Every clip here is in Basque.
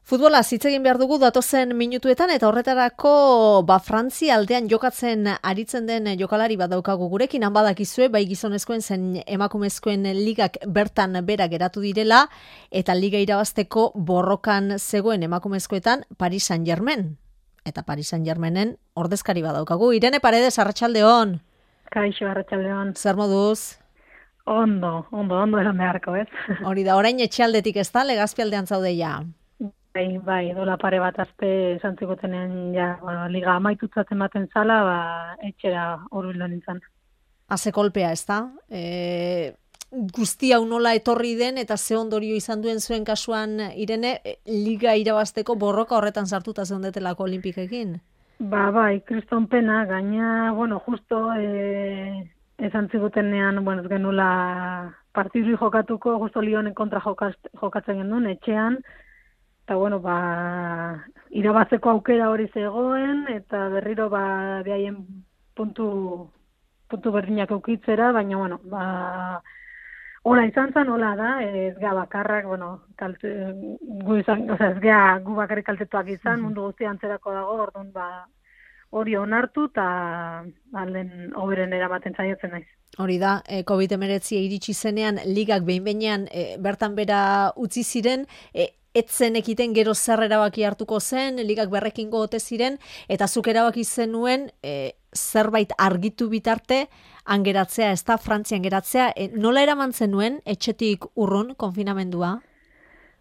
Futbola hitz egin behar dugu datozen minutuetan eta horretarako Frantzia aldean jokatzen aritzen den jokalari bat daukagu gurekin, han badakizue bai gizonezkoen zen emakumezkoen ligak bertan bera geratu direla eta liga irabazteko borrokan zegoen emakumezkoetan Paris Saint-Germain. Eta Paris Saint-Germainen ordezkari bat daukagu. Irene Paredes, arratsaldeon. Kaixo, arratsaldeon. Zer moduz? Ondo eran beharko, ez? Hori da, orain etxealdetik ez da, Legazpialdean zaudeia. Bai, dola pare bat azte esan zigutenen liga amaitutzat ematen zala, etxera hurbildu nintzen. Haze kolpea, ez da? Guzti hau nola etorri den eta ze ondorio izan duen zuen kasuan, Irene, liga irabazteko borroka horretan sartuta zeundetelako Olimpikekin? Bai, kriston pena, gaina, justo esan zigutenean, ez genula partidu jokatuko, justo Lyonen kontra jokatzen genuen, etxean, eta irabazteko aukera hori zegoen, eta berriro behaien puntu berdinak eukitzera, baina hola izan zen, hola da, ez gea bakarrak, ez gea gu bakarrik kaltetuak izan, mundu guztia antzerako dago, orduan hori onartu eta alden hoberen eramaten saiatzen naiz. Hori da, COVID-19 iritsi zenean, ligak behin-behinean bertan bera utzi ziren, etzen ekiten gero zer erabaki hartuko zen, ligak berrekingo ote ziren, eta zuk erabaki zenuen zerbait argitu bitarte, angeratzea, ez da, Frantzian geratzea, nola eraman zenuen, etxetik urrun, konfinamendua?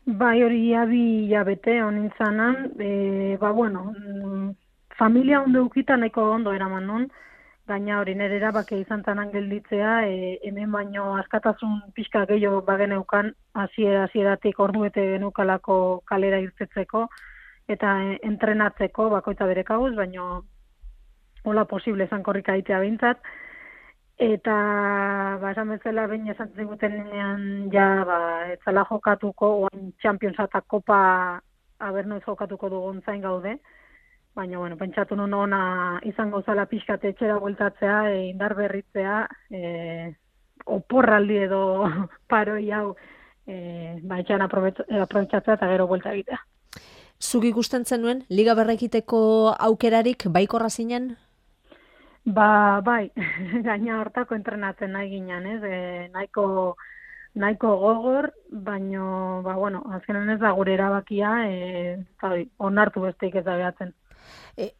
Bai, hori abi jabete honintzanan, familia ondo ukita nahiko ondo eraman nun, gaina hori nire erabakia izan zanan gelditzea, hemen baino askatasun pixka gehiago bageneukan, hasieratik orduete genukalako kalera irtetzeko, eta entrenatzeko bakoitza bere kabuz, baino hola posible izan korrika aitea bintzat, eta esan bezala behin esan zigutenean etzala jokatuko, oain Champions eta Kopa abernoiz jokatuko dugun zain gaude, baina, pentsatu nun ona izango zala pixkate etxera bueltatzea, indar berritzea, oporraldi edo paroi hau, etxean aprobetxatzea eta gero buelta egitea. Zuk ikusten zenuen, liga berrekiteko aukerarik baikorra zinen? Bai, gaina hortako entrenatzen nahi ginen, ez? Nahiko gogor, baino, azkenan ez da gure erabakia, onartu besteik ez da behatzen.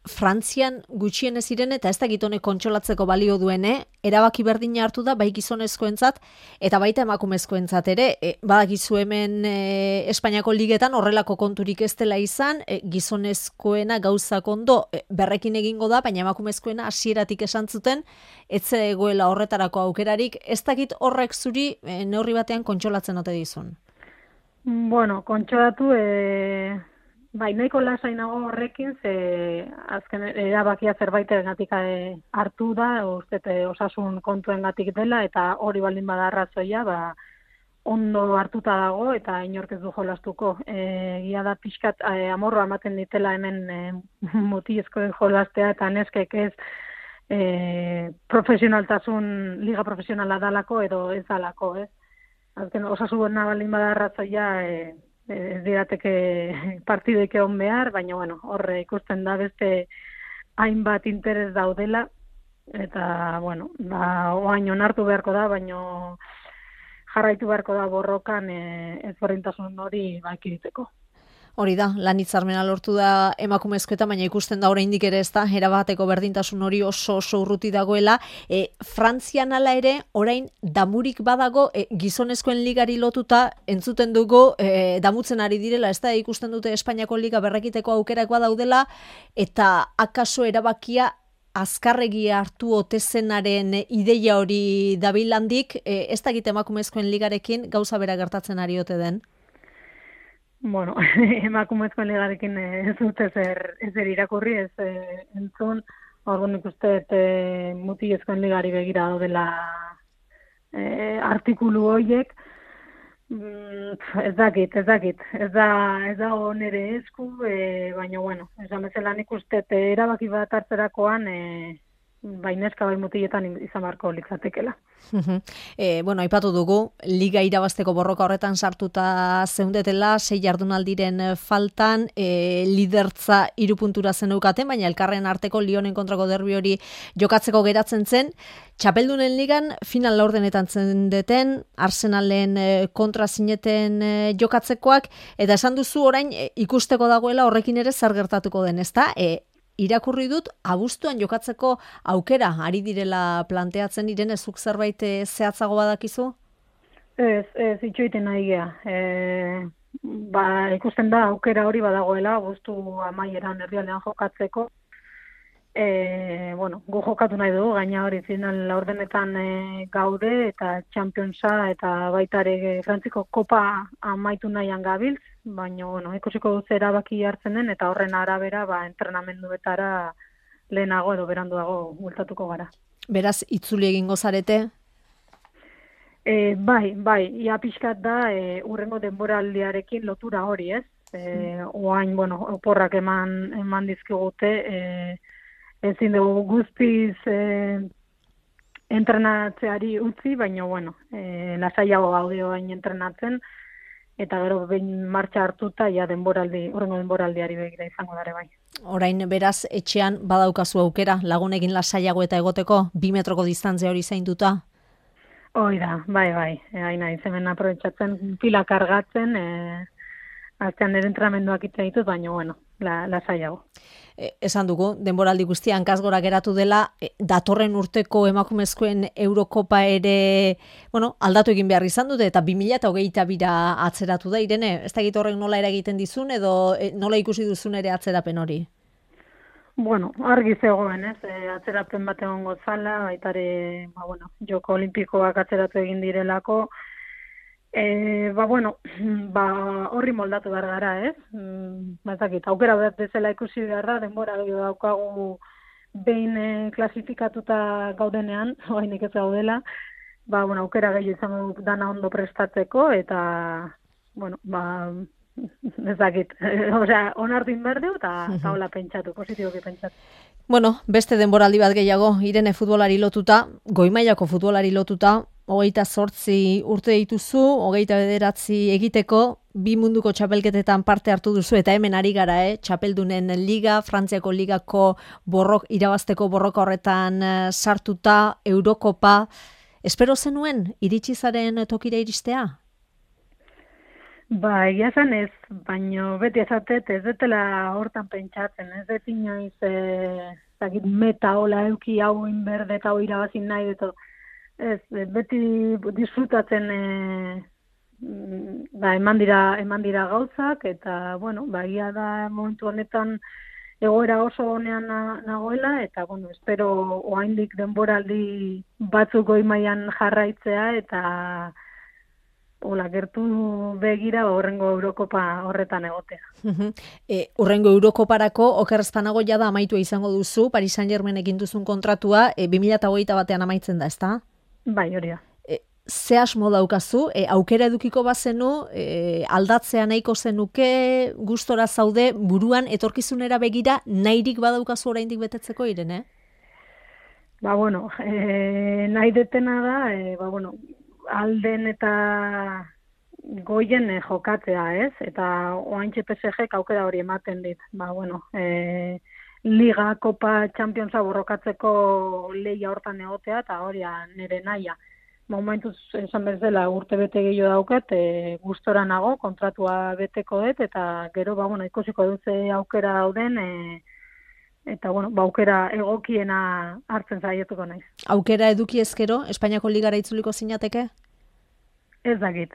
Frantzian gutxienez ziren eta ez dakit honek kontsolatzeko balio duen, erabaki berdina hartu da bai gizonezkoentzat eta baita emakumezkoentzat ere, badakizu hemen Espainiako ligetan horrelako konturik ez dela izan, gizonezkoena gauzak ondo berrekin egingo da, baina emakumezkoena hasieratik esan zuten ez zegoela horretarako aukerarik, ez dakit horrek zuri neurri batean kontsolatzen ote dizun. Kontsolatu, bai, nahiko lasainago horrekin, ze azken erabakia zerbaitegatik hartu da, osasun kontuengatik dela, eta hori baldin bada arrazoia, ondo hartuta dago, eta inork ez du jolastuko. Egia da pixkat amorroa ematen ditela hemen mutilezkoen jolastea, eta neskek ez profesionaltasun, liga profesionala dalako, edo ez dalako, ez? Azken osasuna baldin bada arrazoia, ez dirateke partidek egon behar, baina horre ikusten da beste hainbat interes daudela, eta oain onartu beharko da, baina jarraitu beharko da borrokan ezberdintasun hori ekiditeko. Hori da, lan hitzarmena lortu da emakumezkoetan, baina ikusten da oraindik ere ez da, erabateko berdintasun hori oso urruti dagoela. Frantzian hala ere, orain damurik badago, gizonezkoen ligari lotuta, entzuten dugu, damutzen ari direla, ez da, ikusten dute Espainiako liga berrekiteko aukerak badaudela, eta akaso erabakia azkarregi hartu otezenaren ideia hori dabilandik, ez dakit emakumezkoen ligarekin gauza bera gertatzen ari ote den? Emakumezkoen ligarekin ez dut ezer irakurri, ez entzun, orduan ikusteet mutilezkoen ligari begira daudela artikulu horiek, ez dakit, ez da nere esku, baina, esan bezala nik usteet erabaki bat hartzerakoan bai neska bai mutiletan izan beharko litzatekela. Bueno, aipatu dugu, liga irabazteko borroka horretan sartuta zeundetela, 6 jardunaldiren faltan, lidertza 3 puntura zeneukaten, baina elkarren arteko Lyonen kontrako derbi hori jokatzeko geratzen zen. Txapeldunen ligan final laurdenetan zendeten, Arsenalen kontra zineten jokatzekoak, eta esan duzu orain ikusteko dagoela horrekin ere zer gertatuko den, ezta? Irakurri dut, abuztuan jokatzeko aukera ari direla planteatzen diren, ezuk zerbait zehatzago badakizu? Ez, itxoiten nahi gea. Ikusten da aukera hori badagoela, abuztu amaieran herrialdean jokatzeko. Gu jokatu nahi dugu, gaina hori final laurdenetan gaude, eta Championsa eta baita ere Frantziko Kopa amaitu nahian gabiltz, baina ikusiko duz erabaki hartzen den, eta horren arabera entrenamenduetara lehenago edo beranduago bultatuko gara. Beraz, itzuli egingo zarete? Bai, ia pixkat da urrengo denboraldiarekin lotura hori, ez? Oain, oporrak eman dizkigute, ezin dugu guztiz entrenatzeari utzi, baina, lasaiago gaude oain entrenatzen, eta gero behin martxa hartuta, ja urrengo denboraldiari begira izango dare bai. Orain, beraz, etxean badaukazu aukera, lagunekin lasaiago eta egoteko, 2 metroko distantzia hori zainduta? Hoi da, bai, haina izemen aprobetxatzen, pila kargatzen, aztean nire entramenduak itzen ditut, baina, lasaiago. Esan dugu, denboraldi guztian kasgora geratu dela, datorren urteko emakumezkoen Eurokopa ere, aldatu egin behar izan dute, eta 2022 atzeratu da, Irene, ez da egite horrek nola eragiten dizun, edo nola ikusi duzun ere atzerapen hori? Argi zegoen, ez, atzerapen bat egongo zala, baitare, joko olimpikoak atzeratu egin direlako, horri moldatu behar gara, ez? Aukera bat bezala ikusi behar da, denbora daukagu behin klasifikatuta gaudenean, oainik ez gaudela, aukera gehiago izango dana ondo prestatzeko, eta, onartu inberdeu, eta hola pentsatu, positiboki pentsatu. Beste denboraldi bat gehiago, Irene futbolari lotuta, goi-mailako futbolari lotuta, 28 urte dituzu, 29 egiteko, 2 munduko txapelketetan parte hartu duzu, eta hemen ari gara, txapeldunen liga, Frantziako ligako irabazteko borroka horretan sartuta, Eurokopa. Espero zenuen, iritsi zaren tokira iristea? Egia zen ez, baina beti esatet ez detela hortan pentsatzen, ez dut inoiz meta hola euki hau inberde eta hau irabazin nahi deto. Ez, beti disfrutatzen eman dira gauzak, eta, egia da momentu honetan egoera oso honean nagoela, eta, espero oraindik denboraldi batzuk goi mailan jarraitzea, eta gertu begira horrengo Eurokopa horretan egotea. Horrengo Eurokoparako oker ez banago jada amaitua izango duzu, Paris Saint-Germainekin duzun kontratua 2021 amaitzen da, ezta? Bai, hori da. Ze asmo daukazu, aukera edukiko bazenu, aldatzea nahiko zenuke, gustora zaude, buruan etorkizunera begira nahirik badaukazu oraindik betetzeko, Irene? Nahi detena da, alden eta goien jokatzea, ez? Eta oaintxe PSG aukera hori ematen dit. Liga, Kopa, Championsa borrokatzeko lehia hortan egotea, eta hori nire nahia. Momentuz esan bezala urte bete gehiago daukat, gustora nago, kontratua beteko dut, eta gero, ikusiko dut aukera dauden, eta, aukera egokiena hartzen zaietuko naiz. Aukera eduki ezkero, Espainiako ligara itzuliko zinateke? Ez dakit.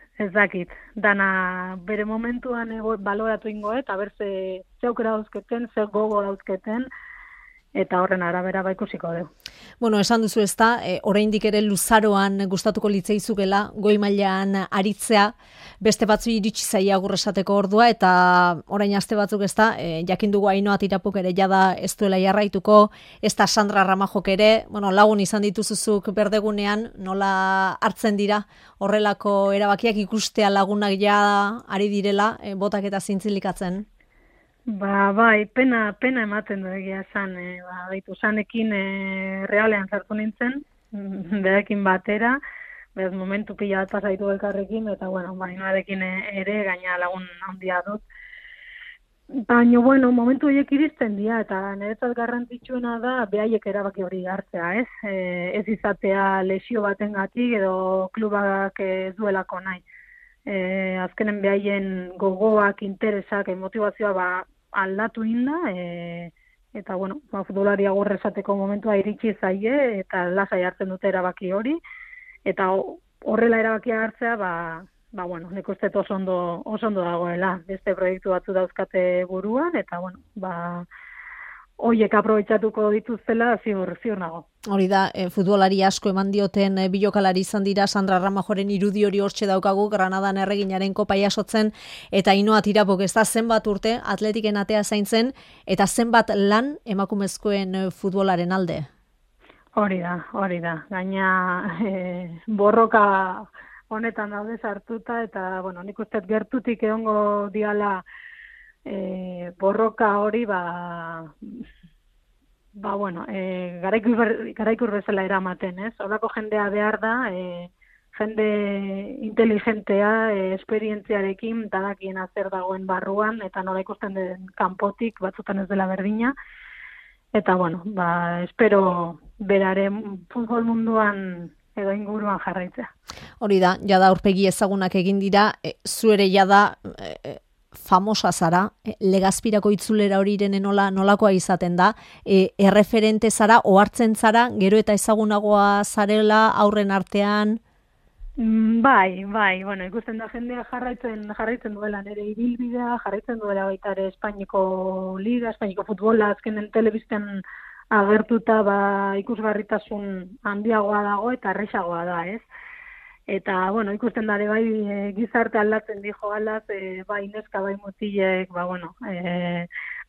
Dana bere momentuan baloratu ingo, eta berze aukera dauzketen, ze gogo dauzketen, eta horren arabera ikusiko dugu. Esan duzu ez da, oraindik ere luzaroan gustatuko litzaizukela, goi mailan aritzea, beste batzu iritsi zaia agur esateko ordua, eta orain aste batzuk ez da, jakin dugu Ainhoa Tirapuk ere jada ez duela jarraituko, ez da Sandra Ramajok ere, lagun izan dituzuzuk berdegunean, nola hartzen dira horrelako erabakiak ikustea lagunak ja ari direla, botak eta zintzilikatzen? Bai, pena ematen du egia esan, baitu sanekin realean sartu nintzen, berekin batera, bez momentu pila bat pasaitu elkarrekin, eta bueno, Ainoarekin ere gaina lagun handia dut. Baina, bueno, momentu horiek iristen dira, eta niretzat garrantzitsuena da behaiek erabaki hori hartzea, ez? Ez izatea lesio batengatik edo klubak ez duelako nahi. Azkenen behaien gogoak, interesak, motivazioa aldatu inda, eta bueno, futbolari agur esateko momentua iritsi zaie, eta lasai hartzen dute erabaki hori, eta horrela erabakia hartzea, bueno, nik uste oso ondo dagoela, beste proiektu batzu dauzkate buruan, eta bueno, hoiek aprobetxatuko dituztela ziur nago. Hori da, futbolari asko eman dioten bilokalari izan dira, Sandra Ramajoren irudi hori hortxe daukagu, Granadan erreginaren kopa jasotzen, eta Ainhoa Tirapok ez da zenbat urte, atletiken atea zaintzen, eta zenbat lan emakumezkoen futbolaren alde. Hori da. Gaina borroka honetan daude sartuta, eta bueno, nik uste gertutik egongo diala borroka hori, bueno, garaikur bezala eramaten, ez? Horako jendea behar da, jende inteligentea, esperientziarekin, dadakien zer dagoen barruan, eta nola ikusten den kanpotik, batzutan ez dela berdina. Eta bueno, espero beraren futbol munduan edo inguruan jarraitzea. Hori da, jada aurpegi ezagunak egin dira, zuere jada famosa zara, Legazpirako itzulera hori nolakoa izaten da, erreferente zara, ohartzen zara, gero eta ezagunagoa zarela aurren artean? Bai, bueno, ikusten da jendea jarraitzen duela nire ibilbidea, jarraitzen duela baita ere Espainiko Liga, Espainiko futbola, azkenen telebistan agertuta ikusgarritasun handiagoa dago eta erresagoa da, ez? Eta, bueno, ikusten dare gizarte aldatzen dijo alaz, bai neska, bai mutilek,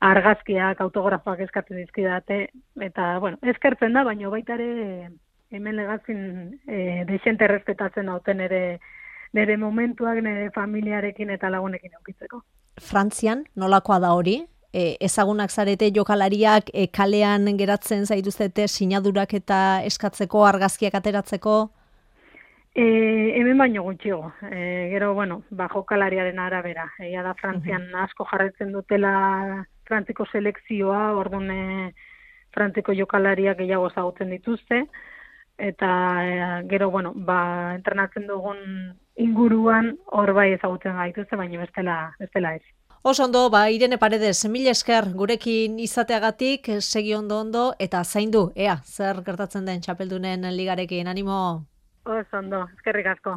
argazkiak, autografoak eskatzen dizkidate, eta, bueno, eskertzen da, baina baita ere hemen Legazpin desente errespetatzen dauten nire momentuak, nire familiarekin eta lagunekin eukitzeko. Frantzian, nolakoa da hori? Ezagunak zarete jokalariak kalean geratzen zaituztete sinadurak eta eskatzeko, argazkiak ateratzeko? Hemen baino gutxiago. Gero, bueno, jokalariaren arabera. Egia da Frantzian asko jarraitzen dutela Frantziko selekzioa, orduan Frantziko jokalariak gehiago ezagutzen dituzte, eta gero, bueno, entrenatzen dugun inguruan hor bai ezagutzen gaituzte, baina bestela ez. Oso ondo, Irene Paredes, mila esker gurekin izateagatik, segi ondo, eta zaindu, zer gertatzen den txapeldunen ligarekin, animo! Oso ondo, eskerrik asko.